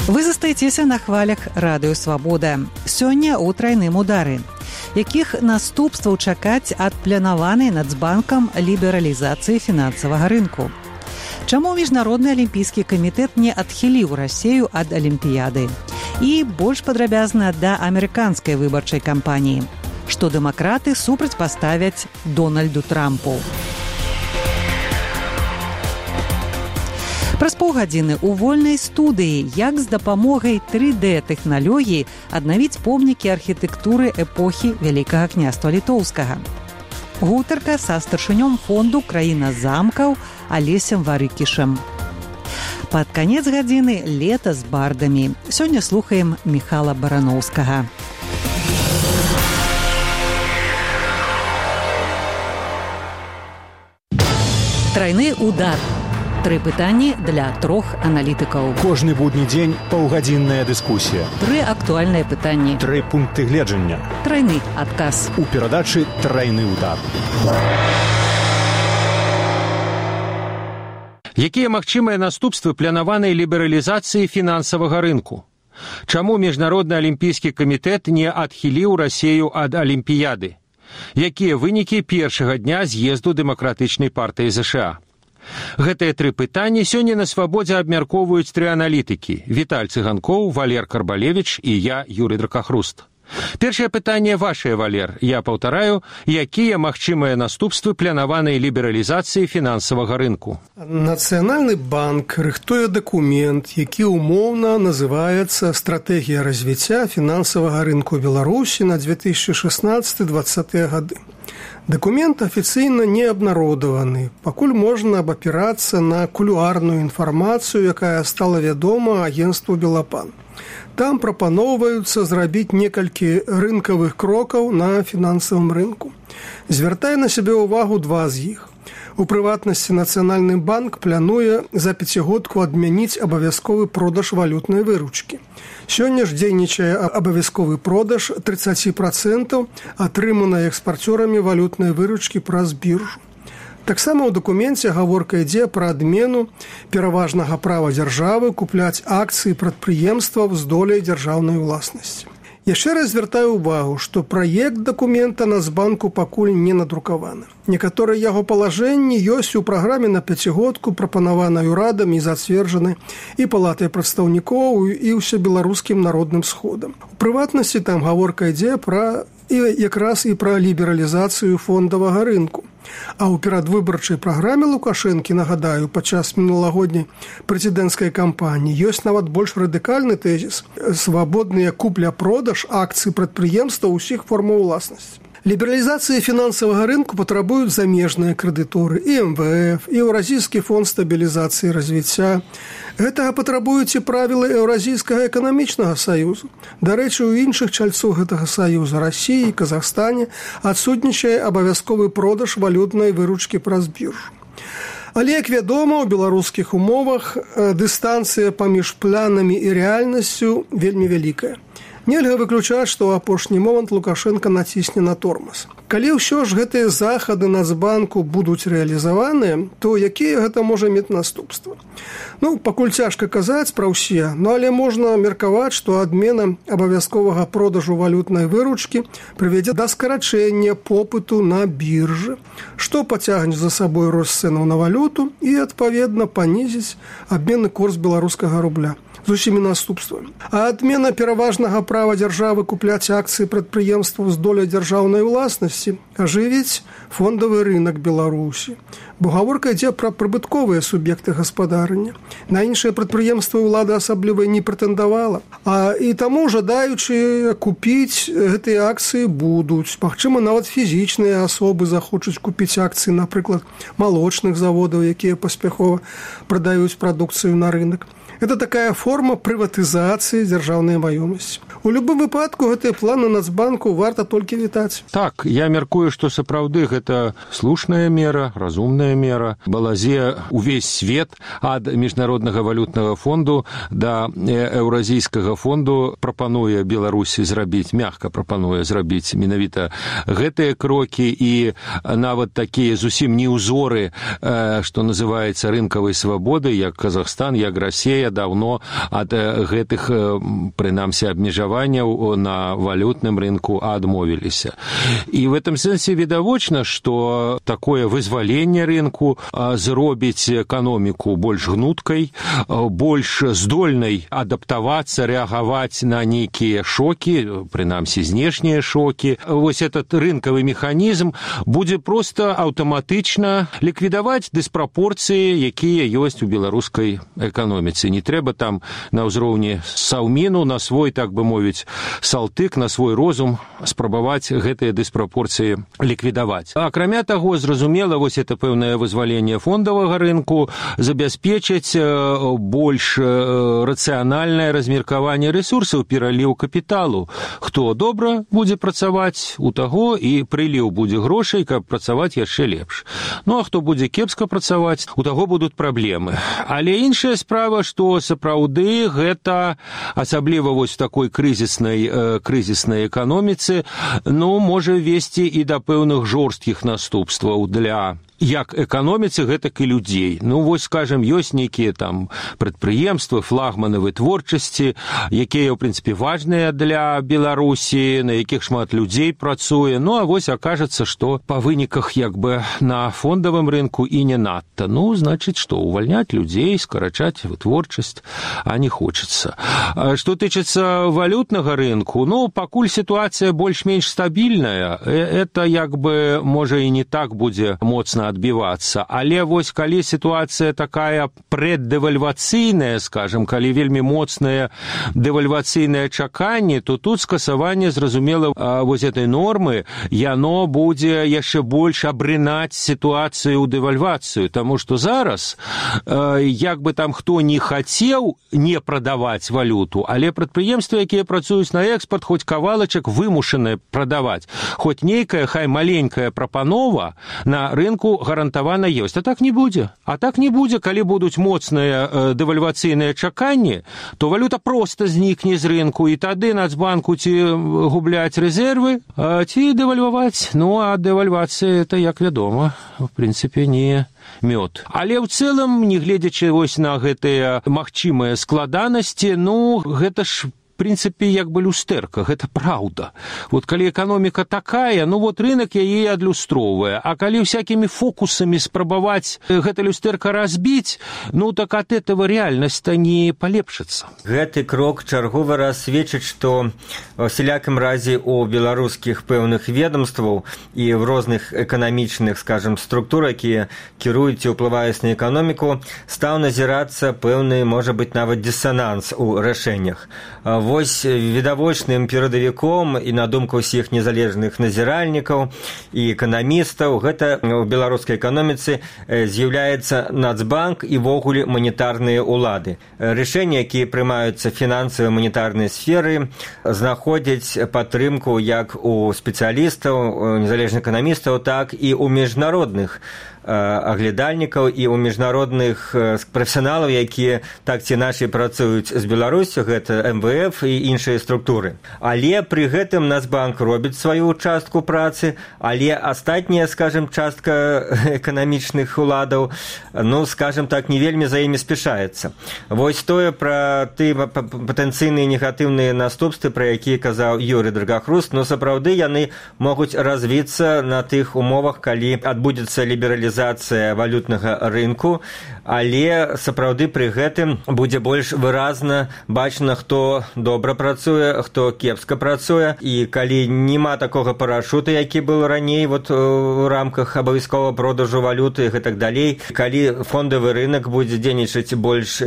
Вы застаецеся на хвалях радыё Свабода. Сёння ў трайным удары. Якіх наступстваў чакаць ад планаванай Нацбанкам лібералізацыі фінансавага рынку? Чаму Міжнародны алімпійскі камітэт не адхіліў Расею ад Алімпіяды? І больш падрабязна да амерыканскай выбарчай кампаніі. Што дэмакраты супрацьпаставяць Дональду Трампу? Праз паўгадзіны ў вольнай студыі, як з дапамогай 3D-тэхналогіі аднавіць помнікі архітэктуры эпохі Вялікага княства Літоўскага. Гутарка са старшынём фонду «Краіна замкаў» Алесем Варыкішам. Пад канец гадзіны лета з бардамі. Сёння слухаем Міхала Бараноўскага. Трайны удар. 3 пытанні для 3 аналітыкаў. Кожны будні дзень паўгадзінная дыскусія. 3 актуальныя пытанні. 3 пункты гледжання. Трайны адказ. У перадачы «Трайны удар». Якія магчымыя наступствы планаванай лібералізацыі фінансавага рынку? Чаму Міжнародны алімпійскі камітэт не адхіліў Расею ад Алімпіяды? Якія вынікі першага дня з'езду Дэмакратычнай партыі ЗША? Гэтыя 3 пытанні сёння на Свабодзе абмяркоўваюць 3 аналітыкі: Віталь Цыганкоў, Валер Карбалевіч і я, Юрый Дракахруст. Першае пытанне вашае, Валер. Я паўтараю, якія магчымыя наступствы планаванай лібералізацыі фінансавага рынку? Нацыянальны банк рыхтуе дакумент, які умоўна называецца «Стратэгія развіцця фінансавага рынку Беларусі на 2016-2020 гады». Дакумент афіцыйна не абнародаваны, пакуль можна абапірацца на кулуарную інфармацыю, якая стала вядома агенцтву «Белапан». Там прапаноўваюцца зрабіць некалькі рынкавых крокаў на фінансавым рынку. Звяртае на сябе ўвагу 2 з іх. У прыватнасці Нацыянальны банк плануе за 5-годку адмяніць абавязковы продаж валютнай выручкі. Сёння ж дзейнічае абавязковы продаж 30% атрыманай экспарцёрамі валютнай выручкі праз біржу. Таксама ў дакуменце гаворка ідзе пра адмену пераважнага права дзяржавы купляць акцыі прадпрыемстваў з доляй дзяржаўнай уласнасці. Яшчэ раз звяртаю ўвагу, што праект дакумента Нацбанку пакуль не надрукаваны. Некаторыя яго палажэнні ёсць у праграме на 5-годку, прапанаванай урадам і зацверджанай і палатай прадстаўнікоў, і ўсебеларускім народным сходам. У прыватнасці там гаворка ідзе пра якраз і пра лібералізацыю фондавага рынку. А ў перадвыбарчай праграме Лукашэнкі, нагадаю, падчас мінулагодняй прэзідэнцкай кампаніі ёсць нават больш радыкальны тэзіс – свабодныя купля-продаж акцый прадпрыемстваў усіх формаў уласнасці. Лібералізацыі фінансавага рынку патрабуюць замежныя крэдыторы і МВФ, і Еўразійскі фонд стабілізацыі і развіцця. Гэтага патрабуюць і правілы Еўразійскага эканамічнага саюзу. Дарэчы, у іншых чальцоў гэтага саюза Расіі і Казахстане адсутнічае абавязковы продаж валютнай выручкі праз біржу. Але, як вядома, у беларускіх умовах дыстанцыя паміж планамі і рэальнасцю вельмі вялікая. Нельга выключаць, што ў апошні момант Лукашенко націсне на тормоз. Калі ўсё ж гэтыя захады Нацбанку будуць рэалізаваныя, то якія гэта можа мець наступствы? Пакуль цяжка казаць пра ўсе, але можна меркаваць, што адмена абавязковага продажу валютнай выручкі прывядзе да скарачэння попыту на біржы, што пацягне за сабой рост цэнаў на валюту і, адпаведна, панізіць абменны курс беларускага рубля з усімі наступствамі. А адмена пераважнага права дзяржавы купляць акцыі прадпрыемстваў з доляй дзяржаўнай уласнасці ажывіць фондавы рынак Беларусі. Бо гаворка ідзе пра прыбытковыя суб'екты гаспадарання. На іншыя прадпрыемствы ўлада асабліва не прэтэндавала. І таму жадаючы купіць гэтыя акцыі будуць. Магчыма, нават фізічныя асобы захочуць купіць акцыі, напрыклад, малочных заводаў, якія паспяхова прадаюць прадукцыю на рынок. Это такая форма прыватызацыі дзяржаўнай маёмасці. У любым выпадку гэтыя планы Нацбанку варта толькі вітаць. Так, я мяркую, што сапраўды гэта слушная мера, разумная мера. Балазе увесь свет ад Міжнароднага валютнага фонду да Еўразійскага фонду прапануе Беларусі зрабіць, мякка прапануе зрабіць менавіта гэтыя крокі і нават такія зусім не ўзоры, што называецца рынкавай свабоды, як Казахстан, як Расія, Расія даўно ад гэтых, прынамсі, абмежаванняў на валютным рынку адмовіліся. І в этом сэнсе відавочна, што такое вызваленне рынку зробіць эканоміку больш гнуткай, больш здольнай адаптавацца, рэагаваць на нейкія шокі, прынамсі, знешнія шокі. Вось этот рынкавы механізм будзе проста аўтаматычна ліквідаваць дыспрапорцыі, якія ёсць у беларускай эканоміцы. Не трэба там на ўзроўні саўміну, на свой, так бы мовіць, салтык, на свой розум спрабаваць гэтыя дыспрапорцыі ліквідаваць. Акрамя таго, зразумела, вось это пэўнае вызваленне фондавага рынку забяспечыць больш рацыянальнае размеркаванне рэсурсаў, пераліў капіталу. Хто добра будзе працаваць, у таго і прыліў будзе грошай, каб працаваць яшчэ лепш. Ну, а хто будзе кепска працаваць, у таго будуць праблемы. Але іншая справа, што сапраўды гэта, асабліва вось в такой крызіснай эканоміцы, ну, можа весці і да пэўных жорсткіх наступстваў для як эканоміцы, гэтак і людзей. Ну, вось, скажем, ёсць нейкія там прадпрыемствы, флагманы вытворчасці, якія, ў прынцыпе, важныя для Беларусі, на якіх шмат людзей працуе. Ну, а вось акажацца, што па выніках як бы на фондавым рынку і не надта. Ну, значыць, што увальняць людзей, скарачаць вытворчасць, а не хочацца. Што тычыцца валютнага рынку, ну, пакуль сітуацыя больш-менш стабільная, это як бы, можа, і не так будзе моцна адбівацца. Але вось калі сітуацыя такая преддэвальвацыйная, скажем, калі вельмі моцнае дэвальвацыйнае чаканне, то тут скасаванне, зразумела, вось этой нормы, яно будзе яшчэ больш абрынаць сітуацыю ў дэвальвацыю, таму што зараз, як бы там хто не хацеў не прадаваць валюту, але прадпрыемствы, якія працуюць на экспорт, хоць кавалачак вымушаныя прадаваць, хоць нейкая, хай маленькая прапанова на рынку гарантавана ёсць. А так не будзе. А так не будзе, калі будуць моцныя дэвальвацыйныя чаканні, то валюта проста знікне з рынку, і тады Нацбанку ці губляць рэзервы, ці дэвальваваць. Ну, а дэвальвацыя, это, як вядома, в прынцыпе, не мёд. Але ў цэлым, не гледзячы вось на гэтыя магчымыя складанасці, ну, гэта ж в прынцыпе, як бы люстэрка, гэта праўда. Вот калі эканоміка такая, ну вот рынок яе адлюстроўвае, а калі всякімі фокусамі спрабаваць гэта люстэрка разбіць, ну так ад этого рэальнасць-то не палепшыцца. Гэты крок чарговы раз сведчыць, што ва всялякім разе у беларускіх пэўных ведомстваў і в розных эканамічных, скажем, структур, якія кіруюць і ўплываюць на эканоміку, стаў назірацца пэўны, можа быць, нават дысананс у рашэннях. Вось відавочным перадавіком і на думку ўсіх незалежных назіральнікаў і эканамістаў гэта ў беларускай эканоміцы з'яўляецца Нацбанк і ввогуле манетарныя ўлады. Рашэнні, якія прымаюцца фінансавай манетарнай сферы, знаходзяць падтрымку як у спецыялістаў, незалежных эканамістаў, так і ў міжнародных аглядальнікаў і ў міжнародных прафесіяналаў, якія так ці іначай працуюць з Беларусю, гэта МВФ і іншыя структуры. Але пры гэтым Нацбанк робіць сваю частку працы, але астатняя, скажем, частка эканамічных уладаў, ну, скажем так, не вельмі за імі спяшаецца. Вось тое пра тыя патэнцыйныя негатыўныя наступствы, пра якія казаў Юрый Драгахруст, но сапраўды яны могуць развіцца на тых умовах, калі адбудзецца лібералізацыя валютнага рынку, але сапраўды пры гэтым будзе больш выразна бачна, хто добра працуе, хто кепска працуе, і калі няма такога парашута, які был раней вот у рамках абавязковага продажу валюты і так далей, калі фондавы рынок будзе дзейнічаць больш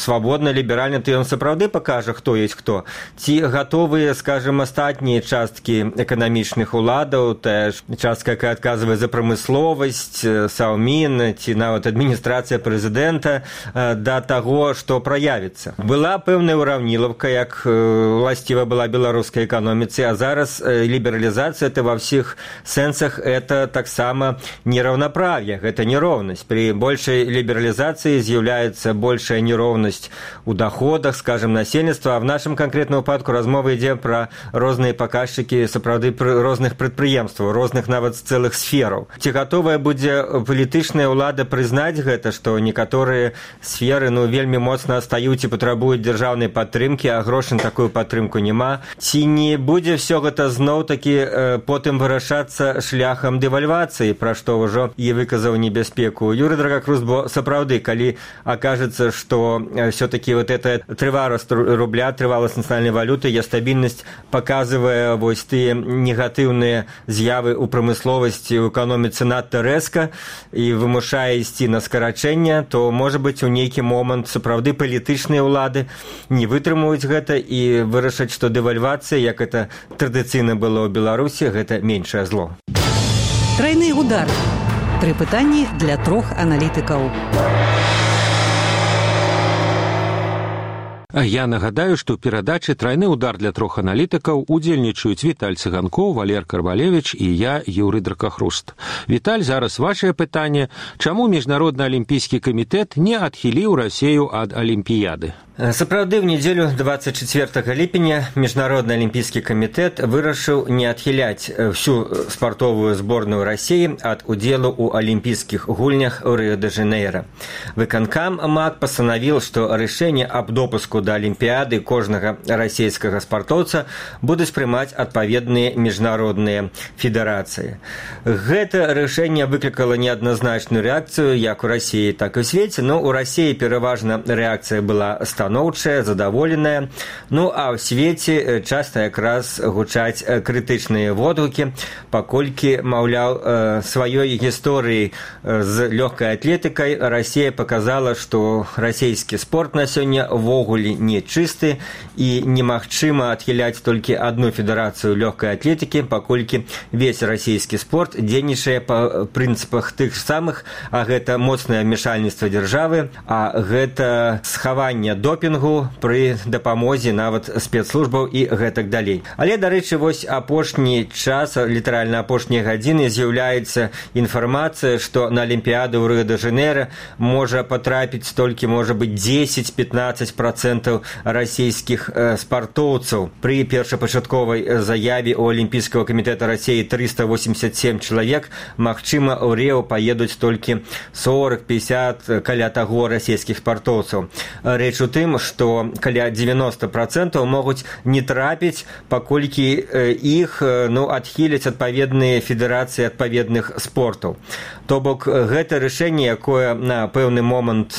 свабодна, ліберальна, то ён сапраўды пакажа, хто ёсць хто. Ці гатовыя, скажем, астатнія часткі эканамічных уладаў, тая ж частка, якая адказвае за прамысловасць, Саўмін ці нават адміністрацыя прэзідэнта да таго, што праявіцца. Была пэўная ўраўнілаўка, як уласціва была беларускай эканоміцы, а зараз лібералізацыя это ва ўсіх сэнсах это таксама нераўнаправ'е, гэта нероўнасць. Пры большай лібералізацыі з'яўляецца большая нероўнасць у даходах, скажем, насельніцтва, а в нашым канкрэтным выпадку размова ідзе пра розныя паказчыкі сапраўды розных прадпрыемстваў, розных нават цэлых сфераў. Ці гатовая будзе палітычная ўлада прызнаць гэта, што некаторыя сферы вельмі моцна адстаюць і патрабуюць дзяржаўнай падтрымкі, а грошай на такую падтрымку няма. Ці не будзе ўсё гэта зноў-такі потым вырашацца шляхам дэвальвацыі, пра што ўжо і выказаў небяспеку Юрый Драгакрус, бо сапраўды, калі акажацца, што все-таки вот эта трываласць рубля, трываласць нацыянальнай валюты, яе стабільнасць паказвае вось тыя негатыўныя з'явы ў прамысловасці, ў эканоміцы надта рэзка і вымушае ісці на скарачэнне, то, можа быць, у нейкі момант сапраўды палітычныя ўлады не вытрымаюць гэта і вырашаць, што дэвальвацыя, як это традыцыйна было ў Беларусі, гэта меншае зло. Трайны удар. 3 пытанні для 3 аналітыкаў. Я нагадаю, што ў перадачы «Трайны удар» для 3 аналітыкаў удзельнічаюць Віталь Цыганкоў, Валер Карвалевіч і я, Юрый Дракахруст. Віталь, зараз вашае пытанне. Чаму Міжнародны алімпійскі камітэт не адхіліў Расею ад Алімпіяды? Сапраўды, ў нядзелю 24 ліпеня Міжнародны алімпійскі камітэт вырашыў не адхіляць всю спартовую зборную Расіі ад удзелу ў алімпійскіх гульнях у Рыё-дэ-Жанейра. Выканкам МАК пастанавіў, што рашэнне аб допуску да алімпіяды кожнага расійскага спартоўца будуць прымаць адпаведныя міжнародныя федэрацыі. Гэта рашэнне выклікала неадназначную рэакцыю як у Расіі, так і ў свеце, но у Расіі пераважна рэакцыя была станоўчая, задаволеная, а ў свеце часта якраз гучаць крытычныя водгукі, паколькі, маўляў, сваёй гісторыі з лёгкай атлетыкай Расія паказала, што расійскі спорт на сёння ввогуле не чысты і немагчыма адхіляць толькі адну федэрацыю лёгкай атлетыкі, паколькі весь расійскі спорт дзейнічае па прынцыпах тых самых, а гэта моцнае ўмешальніцтва дзяржавы, а гэта схаванне допінгу пры дапамозе нават спецслужбаў і гэтак далей. Але, дарэчы, вось апошні час, літаральна апошнія гадзіны з'яўляецца інфармацыя, што на Алімпіяду ў Рыё-дэ-Жанейра можа патрапіць толькі, можа быць, 10-15% расійскіх спартоўцаў. Пры першапачатковай заяве ў Алімпійскага камітэта Расіі 387 чалавек, магчыма, ў Рыё паедуць толькі 40-50 каля таго расійскіх спартоўцаў. Рэч у тым, што каля 90% могуць не трапіць, паколькі іх адхіляць адпаведныя федэрацыі адпаведных спортаў. То бок, гэта рашэнне, якое на пэўны момант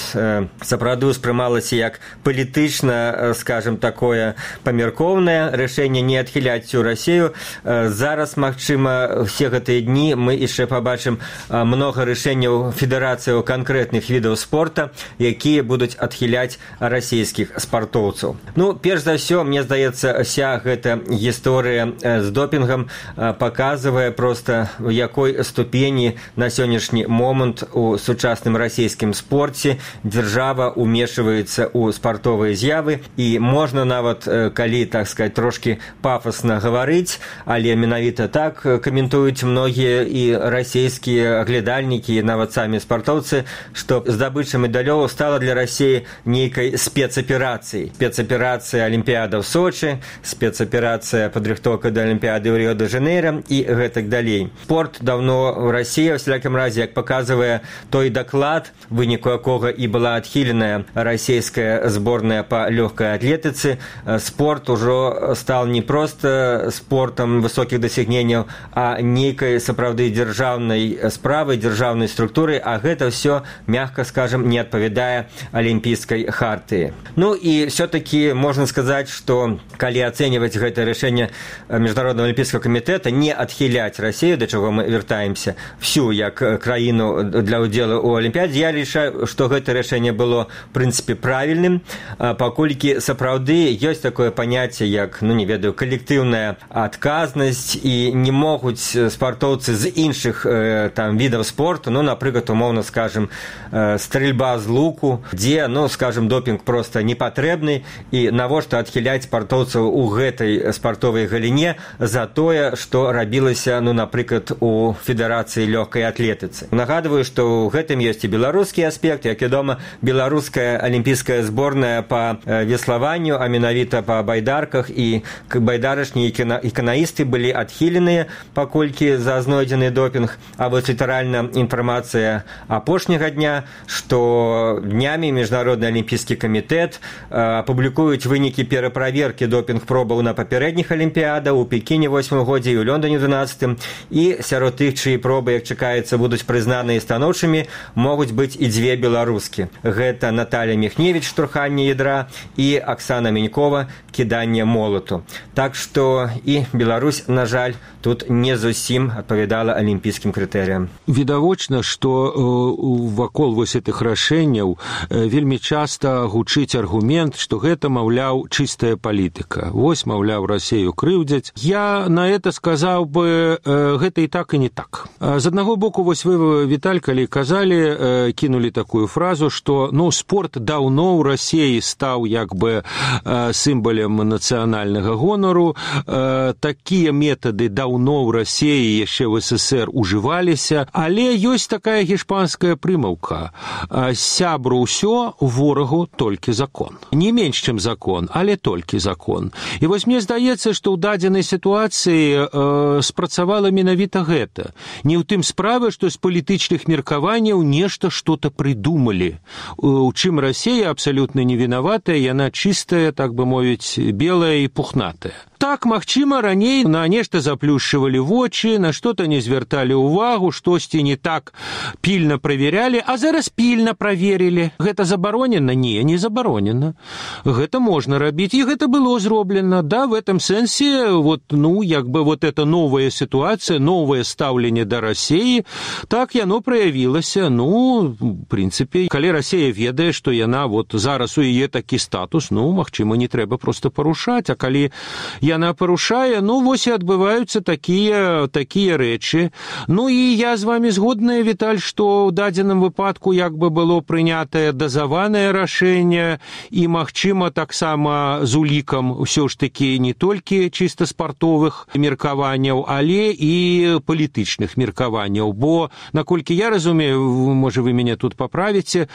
сапраўды ўспрымалася як палітычна, скажем, такое памяркоўнае рашэнне не адхіляць всю Расію. Зараз, магчыма, все гэтыя дні мы яшчэ пабачым многа рашэнняў федэрацыяў канкрэтных відаў спорта, якія будуць адхіляць расійскіх спартоўцаў. Перш за ўсё, мне здаецца, вся гэта гісторыя з допінгам паказвае проста, у якой ступені на сённяшні момант у сучасным расійскім спорце дзяржава умешваецца ў спартовыя з'явы, і можна нават, калі, так сказать, трошки пафасна гаварыць, але менавіта так каментуюць многія і расійскія аглядальнікі, і нават самі спартоўцы, што здабыча медалёў стала для Расіі нейкай спецаперацыяй. Спецаперацыя Алімпіяда ў Сочы, спецаперацыя падрыхтоўка да Алімпіяды ў Рыё-дэ-Жанейра і гэтак далей. Спорт даўно ў Расіі, ў всякім разе, як паказвае той даклад, выніку якога і была адхіленая расійская зборная па лёгкай атлетыцы, спорт ужо стал не проста спортам высокіх дасягненняў, а нейкай сапраўды дзяржаўнай справай, дзяржаўнай структурай, а гэта ўсё, мягка скажем, не адпавядае алімпійскай хартыі. І все-таки можна сказаць, што калі ацэньваць гэта рашэнне Міжнароднага алімпійскага камітэта не адхіляць Расію, да чаго мы вяртаемся, всю як краіну для ўдзелу ў Алімпіядзе, я лічаю, што гэта рашэнне было в прынцыпе правільным, паколькі сапраўды ёсць такое паняцце як, не ведаю, калектыўная адказнасць, і не могуць спартоўцы з іншых відаў спорту, напрыклад, умоўна скажем, стрэльба з луку, дзе, скажем, допінг проста не патрэбны, і навошта адхіляць спартоўцаў у гэтай спартовай галіне за тое, што рабілася, напрыклад, у федэрацыі лёгкай атлетыцы. Нагадваю, што ў гэтым ёсць і беларускі аспект. Як вядома, беларуская алімпійская зборная па па веславанню, а менавіта па байдарках, і байдарачні і канаісты былі адхіленыя, паколькі за знойдзены допінг. А вось літаральна інфармацыя апошняга дня, што днямі Міжнародны алімпійскі камітэт апублікуюць вынікі пераправеркі допінг-пробаў на папярэдніх алімпіядах у Пекіне 8 годзе і ў Лондоне 12, і сярод тых, чыі пробы, як чакаецца, будуць прызнаныя станоўчымі, могуць быць і дзве беларускі. Гэта Наталья Міхневіч, штурханне ядра, і Аксана Менькова, кіданне молату. Так што і Беларусь, на жаль, тут не зусім адпавядала алімпійскім крытэрыям. Відавочна, што вакол вось гэтых рашэнняў вельмі часта гучыць аргумент, што гэта, маўляў, чыстая палітыка. Вось, маўляў, Расею крыўдзяць. Я на это сказаў бы, гэта і так, і не так. З аднаго боку, вось вы, Віталь, калі казалі, кінулі такую фразу, што спорт даўно ў Расеі стаў як бы сімвалем нацыянальнага гонару. Такія метады даўно ў Расеі яшчэ в СССР ужываліся, але ёсць такая гішпанская прымаўка: сябру ўсё, ворагу толькі закон. Не менш, чым закон, але толькі закон. І вось мне здаецца, што ў дадзенай сітуацыі спрацавала менавіта гэта. Не ў тым справа, што з палітычных меркаванняў нешта што-то прыдумалі. У чым Расея абсалютна не вінаватая, яна чыстая, так бы мовіць, белая і пухнатая. Так, магчыма, раней на нешта заплюшчывалі вочы, на што-то не звярталі ўвагу, штосьці не так пільна праверялі, а зараз пільна праверылі. Гэта забаронена? Не, не забаронена. Гэта можна рабіць, і гэта было зроблена. Да, в этом сэнсе, як бы эта новая сітуацыя, новае стаўленне да Расеі, так яно праявілася. В прынцыпе, калі Расея ведае, што яна зараз у яе такі статус, магчыма, не трэба проста парушаць, а калі яна парушае, вось і адбываюцца такія рэчы. І я з вами згодная, Віталь, што ў дадзеным выпадку як бы было прынятае дазаванае рашэнне, і, магчыма, таксама з улікам ўсё ж такі не толькі чыста спартовых меркаванняў, але і палітычных меркаванняў. Бо, наколькі я разумею, можа, вы мяне тут паправіце,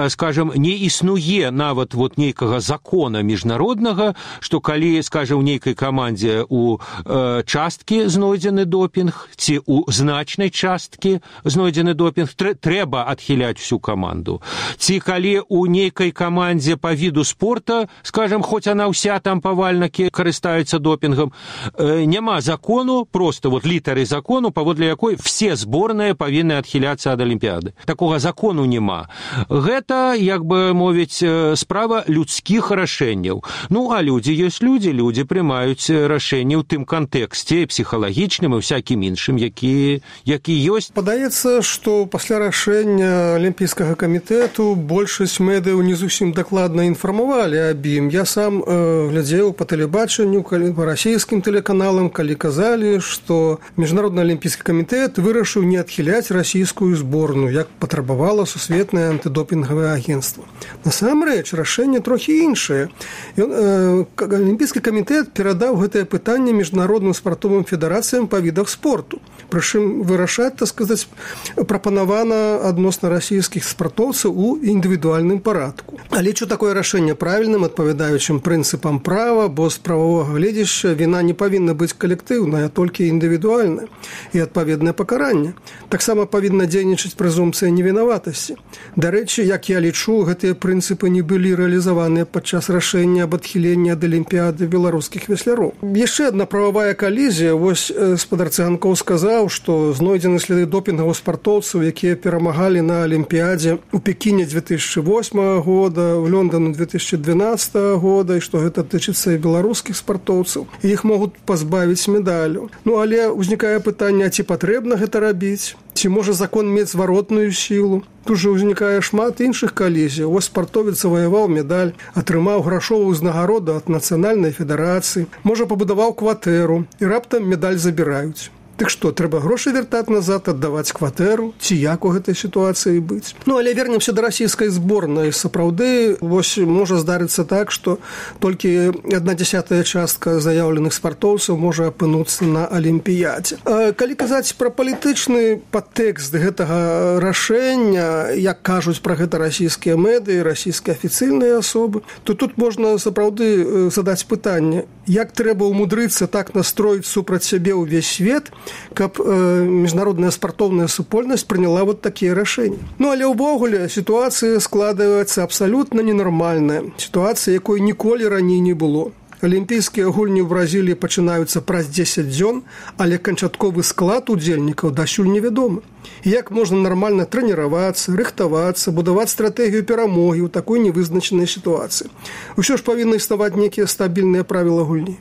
скажам, не існуе нават нейкага закона міжнароднага, што калі, скажам, нейкай камандзе у часткі знойдзены допінг, ці у значнай часткі знойдзены допінг, трэба адхіляць всю каманду. Ці калі у нейкай камандзе па віду спорта, скажам, хоць она ўся там павальнакі карыстаюцца допінгам, няма закону, просто літары закону, паводле якой все зборныя павінны адхіляцца ад алімпіяды. Такога закону няма. Гэта, як бы мовіць, справа людскіх рашэнняў. А людзі ёсць людзі прымаюць рашэнні ў тым кантэксце псіхалагічным і всякім іншым, які ёсць. Падаецца, што пасля рашэння Алімпійскага камітэту большасць медыяў не зусім дакладна інфармавалі аб ім. Я сам глядзеў па тэлебачанню, па расійскім тэлеканалам, калі казалі, што Міжнародны алімпійскі камітэт вырашыў не адхіляць расійскую зборную, як патрабавала сусветнае антыдопінгавае агенцтва. Насамрэч, рашэнне трохі іншае. Алімпійскі камітэт перадаў гэтае пытанне міжнародным спартовым федэрацыям па відах спорту. Прычым вырашаць, так сказаць, прапанавана адносна расійскіх спартоўцаў у індывідуальным парадку. Але лічу такое рашэнне правільным, адпавядаючым прынцыпам права, бо з прававога гледзяшча віна не павінна быць калектыўная, а толькі індывідуальная і адпаведнае пакаранне. Таксама павінна дзейнічаць прэзумпцыя невінаватасці. Дарэчы, як я лічу, гэтыя прынцыпы не былі рэалізаваныя падчас рашэння аб адхіленні ад алімпіяды беларускіх весляроў. Яшчэ адна прававая калізія. Вось спадар Цыганкоў сказаў, што знойдзены сляды допінгаў спартоўцаў, якія перамагалі на алімпіядзе у Пекіне 2008 года, в Лондону 2012 года, і што гэта тычыцца і беларускіх спартоўцаў. І іх могуць пазбавіць медалю. Але ўзнікае пытанне, ці патрэбна гэта рабіць? Ці можа закон мець зваротную сілу? Тут жа ўзнікае шмат іншых калізій. Вось спартовец заваяваў медаль, атрымаў грашовую ўзнагароду ад нацыянальнай федэрацыі, можа, пабудаваў кватэру, і раптам медаль забіраюць. Дык што, трэба грошы вяртаць назад, аддаваць кватэру, ці як у гэтай сітуацыі быць? Ну, але вернемся да расійскай зборнай. Сапраўды, вось можа здарыцца так, што толькі 1/10 частка заяўленых спартоўцаў можа апынуцца на Алімпіядзе. Калі казаць пра палітычны падтэкст гэтага рашэння, як кажуць пра гэта расійскія медыі, расійскія афіцыйныя асобы, то тут можна сапраўды задаць пытанне, як трэба ўмудрыцца так настроіць супраць сябе ўвесь свет, каб міжнародная спартоўная супольнасць прыняла вот такія рашэнні. Ну, але ўвогуле сітуацыя складаецца абсалютна ненармальная. Сітуацыя, якой ніколі раней не было. Алімпійскія гульні ў Бразіліі пачынаюцца праз 10 дзён, але канчатковы склад удзельнікаў дасюль невядомы. Як можна нармальна трэніравацца, рыхтавацца, будаваць стратэгію перамогі ў такой невызначанай сітуацыі? Усё ж павінны існаваць нейкія стабільныя правілы гульні.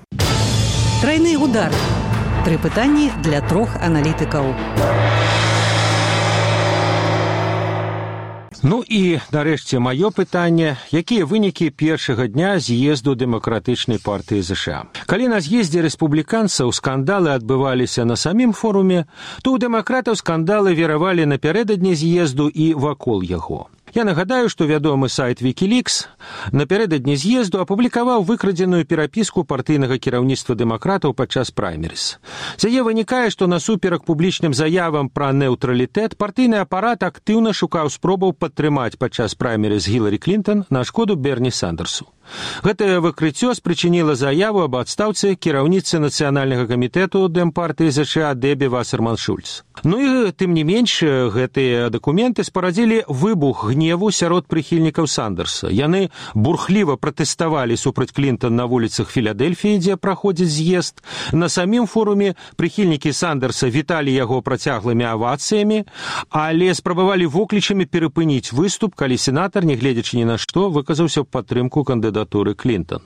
Трайны удар. 3 пытанні для 3 аналітыкаў. Ну і, нарэшце, маё пытанне, якія вынікі першага дня з'езду Дэмакратычнай партыі ЗША? Калі на з'ездзе рэспубліканцаў скандалы адбываліся на самім форуме, то ў дэмакратаў скандалы віравалі напярэдадні з'езду і вакол яго. Я нагадаю, што вядомы сайт Wikileaks напярэдадні з'езду апублікаваў выкрадзеную перапіску партыйнага кіраўніцтва дэмакратаў падчас праймерыс. З яе вынікае, што насуперак публічным заявам пра неўтралітэт партыйны апарат актыўна шукаў спробаў падтрымаць падчас праймерыс Гіларі Клінтон на шкоду Берні Сандерсу. Гэтае выкрыццё спрычыніла заяву аб адстаўцы кіраўніцы нацыянальнага камітэту Дэмпартыі ЗША Дэбі Вассерман-Шульц. Ну і, тым не менш, гэтыя дакументы спарадзілі выбух гневу сярод прыхільнікаў Сандерса. Яны бурхліва пратэставалі супраць Клінтон на вуліцах Філадельфіі, дзе праходзіць з'езд. На самім форуме прыхільнікі Сандерса віталі яго працяглымі авацыямі, але спрабавалі воклічамі перапыніць выступ, калі сенатар, нягледзячы ні на што, выказаўся ў падтрымку кандыдатуры Клінтон.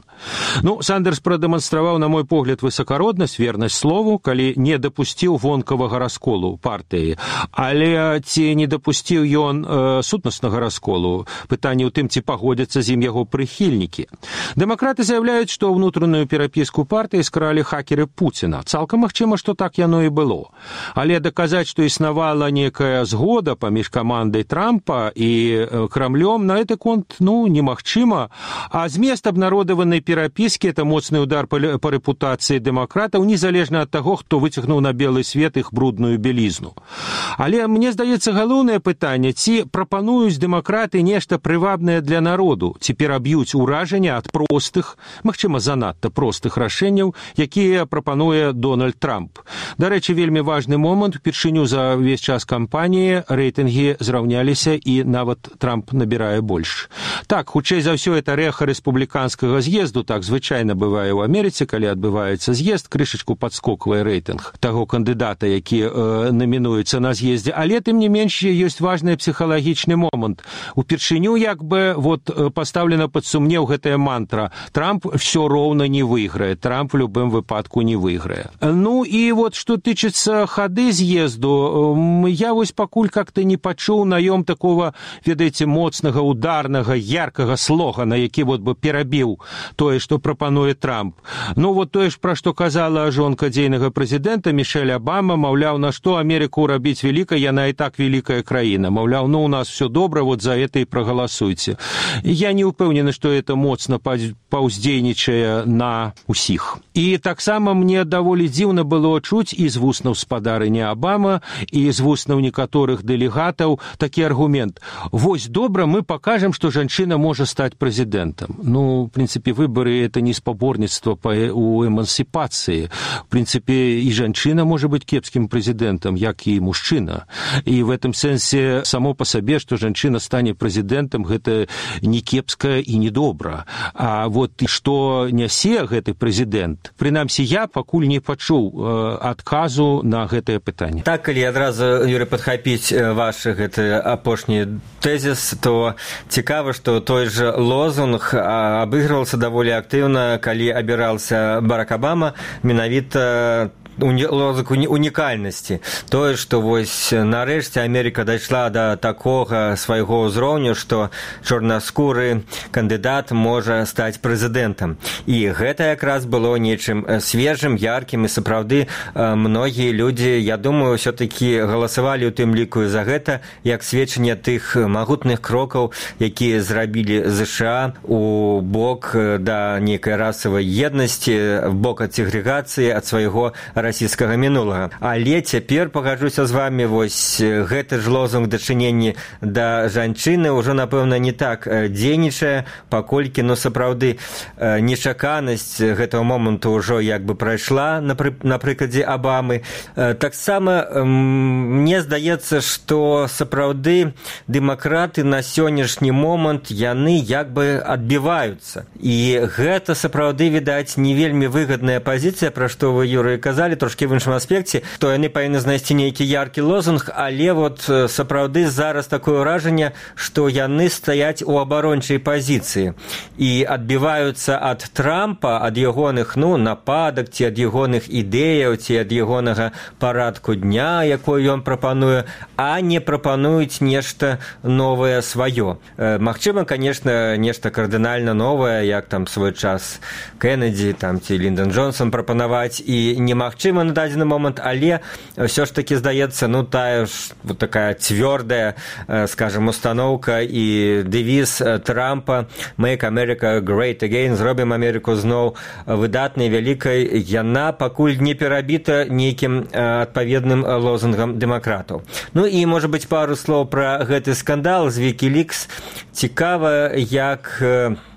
Ну, Сандерс прадэманстраваў, на мой погляд, высакароднасць, вернасць слову, калі не дапусціў вонкавага расколу партыі. Але ці не дапусціў ён сутнаснага расколу? Пытанне ў тым, ці пагодзяцца з ім яго прыхільнікі. Дэмакраты заяўляюць, што ўнутраную перапіску партыі скралі хакеры Пуціна. Цалкам магчыма, што так яно і было. Але даказаць, што існавала некая згода паміж камандай Трампа і Крамлём, на гэты конт, немагчыма. А змест абнародаванай перапіскі – это моцны удар па рэпутацыі дэмакратаў, незалежна ад таго, хто выцягнуў на белы свет іх брудную белізну. Але мне здаецца галоўнае пытанне, ці прапануюць дэмакраты нешта прывабнае для народу, ці пераб'юць уражання ад простых, магчыма, занадта простых рашэнняў, якія прапануе Дональд Трамп. Дарэчы, вельмі важны момант, упершыню за ўвесь час кампаніі рэйтынгі зраўняліся і нават Трамп набірае больш. Так, хутчэй за ўсё, это рэха рэспубліканскага з'езду, так звычайна бывае ў Амерыцы, калі адбываецца з'езд, крышачку падскоквае рэйтынг таго кандыдата, які намінуецца на з'ездзе. Але, тым не менш, ёсць важны псіхалагічны момант. Упершыню, пастаўлена пад сумнеў гэтая мантра. Трамп всё роўна не выйграе. Трамп в любым выпадку не выйграе. Ну, і што тычыцца хады з'езду, я пакуль как-то не пачуў наём такого, ведаеце, моцнага, ударнага, яркага слогана, які бы перабіў тое, што прапануе Трамп. Тое ж, пра што казала жонка дзейнага прэзідэнта Мішэль Абама, маўляў, на што Амерыку рабіць вялікай, яна і так вялікая краіна. Маўляў, у нас все добра, за это і прагаласуйце. Я не ўпэўнены, што это моцна паўздзейнічае на ўсіх. І таксама мне даволі дзіўна было чуць і з вуснаў спадарыні Абама, і з вуснаў некаторых дэлегатаў такі аргумент. Вось добра, мы пакажам, што жанчына можа стаць прэзідэнтам. В принципе, выборы – это не спаборніцтва у эмансіпацыі. В принципе, і жанчына можа быць кепскім прэзідэнтам, як і мужчына. І в этом сэнсе само па сабе, што жанчына стане прэзідэнтам, гэта не кепска і не добра. А што нясе гэты прэзідэнт, прынамсі я пакуль не пачуў адказу на гэтае пытанне. Так, калі адразу, Юрый, падхапіць ваш гэты апошні тэзіс, то цікава, што той же лозунг абыгрывался даволі актыўна, калі абіраўся Барак Абама, менавіта лозунг унікальнасці. Тое, што вось нарэшце Амерыка дайшла да такога свайго ўзроўню, што чорнаскуры кандыдат можа стаць прэзідэнтам. І гэта якраз было нечым свежым, яркім, і сапраўды многія людзі, я думаю, ўсё-такі галасавалі ў тым ліку за гэта, як сведчанне тых магутных крокаў, якія зрабілі ЗША у бок да нейкай расавай еднасці, в бок ад сегрэгацыі, ад свайго расійскага мінулага. Але цяпер, пагаджуся з вами, вось гэты ж лозунг дачынення да жанчыны ўжо, напэўна, не так дзейнічае, паколькі, сапраўды, нечаканасць гэтага моманту ўжо як бы прайшла на прыкладзе Абамы. Таксама мне здаецца, што сапраўды дэмакраты на сённяшні момант яны як бы адбіваюцца. І гэта сапраўды, відаць, не вельмі выгадная пазіцыя, пра што вы, Юрый, казалі, трошкі в іншым аспекце, то яны павінны знайсці нейкі яркі лозунг, але вот сапраўды зараз такое ўражанне, што яны стаяць у абарончай пазіцыі і адбіваюцца ад Трампа, ад ягоных нападак, ці ад ягоных ідэяў, ці ад ягонага парадку дня, якой ён прапануе, а не прапануюць нешта новае сваё. Магчыма, конечно, нешта кардынальна новае, як там свой час Кеннеді там, ці Ліндон Джонсон прапанаваць, і немагчыма на дадзены момант, але ўсё ж такі здаецца, тая ж вот такая цвёрдая, скажем, установка і дэвіз Трампа «Make America Great Again», «Зробім Амерыку зноў выдатнай, вялікай», яна пакуль не перабіта нейкім адпаведным лозунгам дэмакратаў. І, можа быць, пару слоў пра гэты скандал з Wikileaks. Цікава, як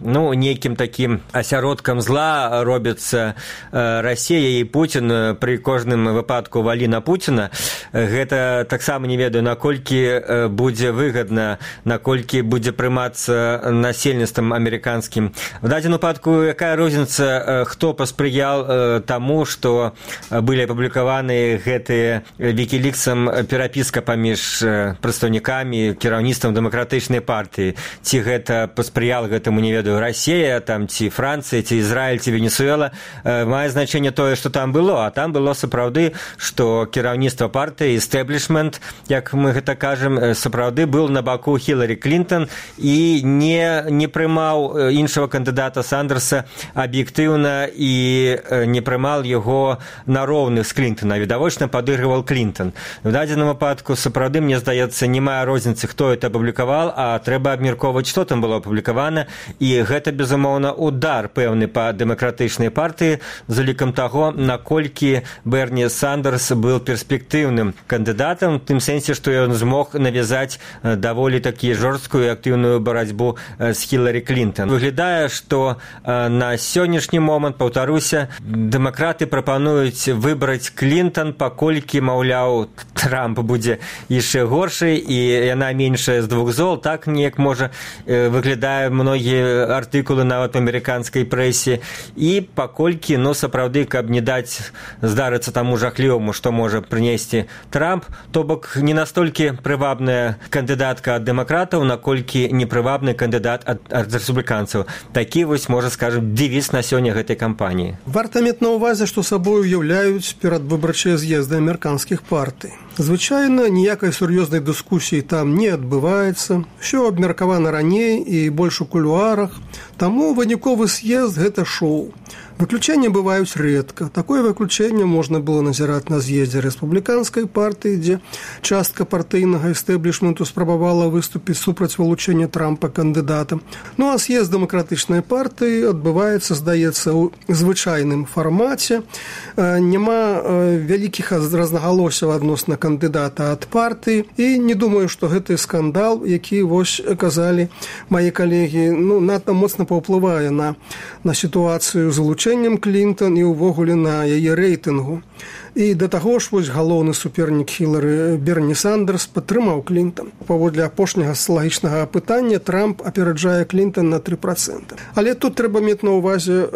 нейкім такім асяродкам зла робіцца Расія і Пуцін, пры кожным выпадку валі на Пуціна. Гэта таксама не ведаю, наколькі будзе выгадна, наколькі будзе прымацца насельніцтвам амерыканскім. В дадзеным выпадку якая розніца, хто паспрыял таму, што былі апублікаваны гэтыя Wikileaksам перапіска паміж прадстаўнікамі, кіраўніцтвам дэмакратычнай партыі. Ці гэта паспрыяла гэтаму, не ведаю, Расія, там, ці Францыя, ці Ізраіль, ці Венесуэла. Мае значэнне тое, што там было, а там было сапраўды, што кіраўніцтва партыі, эстеблішмент, як мы гэта кажам, сапраўды быў на баку Хіларі Клінтон і не прымаў іншага кандыдата Сандерса аб'ектыўна і не прымаў яго на роўных з Клінтона, відавочна падыгрываў Клінтон. В дадзеным выпадку сапраўды, мне здаецца, не мае розніцы, хто это апублікаваў, а трэба абмяркоўваць, што там было апублікавана, і гэта, безумоўна, удар пэўны па дэмакратычнай партыі, з улікам таго, наколькі Берні Сандерс быў перспектыўным кандыдатам, в тым сэнсе, што ён змог навязаць даволі такі жорсткую і актыўную барацьбу з Хіларі Клінтон. Выглядае, што на сённяшні момант, паўтаруся, дэмакраты прапануюць выбраць Клінтон, паколькі, маўляў, Трамп будзе яшчэ горшай, і яна меншая з двух зол, так неяк можа выглядае многія артыкулы нават у амерыканскай прэсе, і паколькі, сапраўды, каб не даць здарыцца таму жахліваму, што можа прынесці Трамп, то бок не настолькі прывабная кандыдатка ад дэмакратаў, наколькі непрывабны кандыдат ад рэспубліканцаў. Такі вось, можа, скажам, дэвіз на сёння гэтай кампаніі. Варта мець на ўвазе, што сабою ўяўляюць перадвыбарчыя з'езды амерыканскіх партый. Звычайна, ніякай сур'ёзнай дыскусіі там не адбываецца, усё абмеркавана раней і больш у кулуарах, таму выніковы з'езд – гэта шоу. Выключэнні бываюць рэдка. Такое выключэнне можна было назіраць на з'ездзе рэспубліканскай партыі, дзе частка партыйнага эстэблішменту спрабавала выступіць супраць вылучэння Трампа кандыдатам. А з'езд дэмакратычнай партыі адбываецца, здаецца, у звычайным фармаце. Няма вялікіх рознагалосяў адносна кандыдата ад партыі. І не думаю, што гэты скандал, які, вось, казалі мае калегі, надта моцна паўплывае на сітуацыю з вылучэннем Клінтон і ўвогуле на яе рэйтынгу. І да таго ж, вось, галоўны супернік Хілары Берні Сандерс падтрымаў Клінтон. Паводле апошняга соцыялагічнага апытання Трамп апераджае Клінтон на 3%. Але тут трэба мець на ўвазе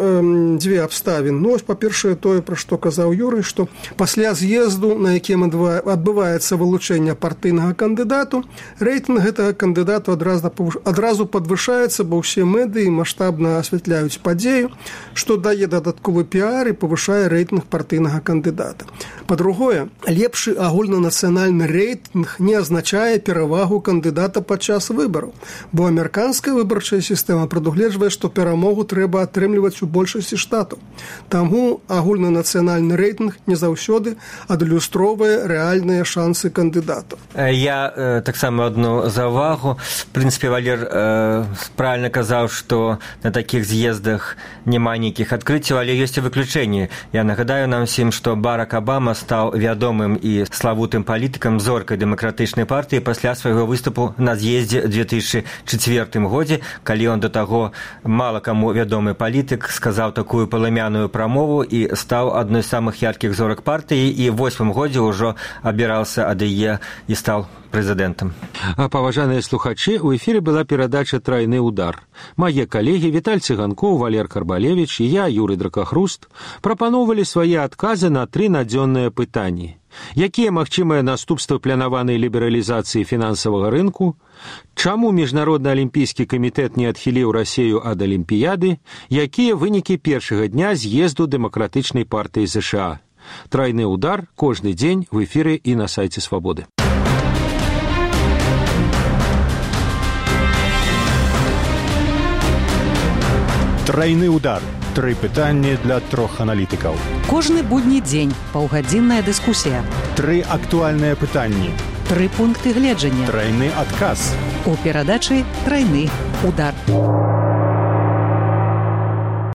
дзве абставіны. Па-першае, тое, пра што казаў Юрый, што пасля з'езду, на якім адбываецца вылучэнне партыйнага кандыдату, рэйтынг гэтага кандыдату адразу падвышаецца, бо ўсе медыі маштабна асвятляюць падзею, што дае дае дадатковы піар і павышае рэйтынг партыйнага кандыдата. Па-другое, лепшы агульнанацыянальны рэйтынг не азначае перавагу кандыдата падчас выбараў, бо амерыканская выбарчая сістэма прадугледжвае, што перамогу трэба атрымліваць у большасці штатаў. Таму агульнанацыянальны рэйтынг не заўсёды адлюстроўвае рэальныя шансы кандыдатаў. Я таксама одну заўвагу. В прынцыпе, Валер правильно казаў, што на такіх з'ездах няма нейкіх адкрыццяў, але ёсць і выключэнні. Я нагадаю нам всім, што Барак Абама стаў вядомым і славутым палітыкам, зоркай дэмакратычнай партыі пасля свайго выступу на з'ездзе 2004 годзе, калі он да таго мала каму вядомы палітык, сказаў такую паламяную прамову і стаў адной з самых яркіх зорак партыі і ў 8 годзе ўжо абіраўся ад яе і стаў прэзідэнтам. Паважаныя слухачы, у эфіры была перадача «Трайны удар». Мае калегі Віталь Цыганкоў, Валер Карбалевіч і я, Юрый Дракахруст, прапаноўвалі свае адказы на 3 надзённыя пытанні. Якія магчымыя наступствы планаванай лібералізацыі фінансавага рынку? Чаму Міжнародны алімпійскі камітэт не адхіліў Расею ад Алімпіяды? Якія вынікі першага дня з'езду Дэмакратычнай партыі ЗША? «Трайны удар» кожны дзень в эфіры і на сайце Свабоды. Трайны удар. 3 пытанні для 3 аналітыкаў. Кожны будні дзень паўгадзінная дыскусія. 3 актуальныя пытанні. 3 пункты гледжання. Трайны адказ. У перадачы «Трайны удар».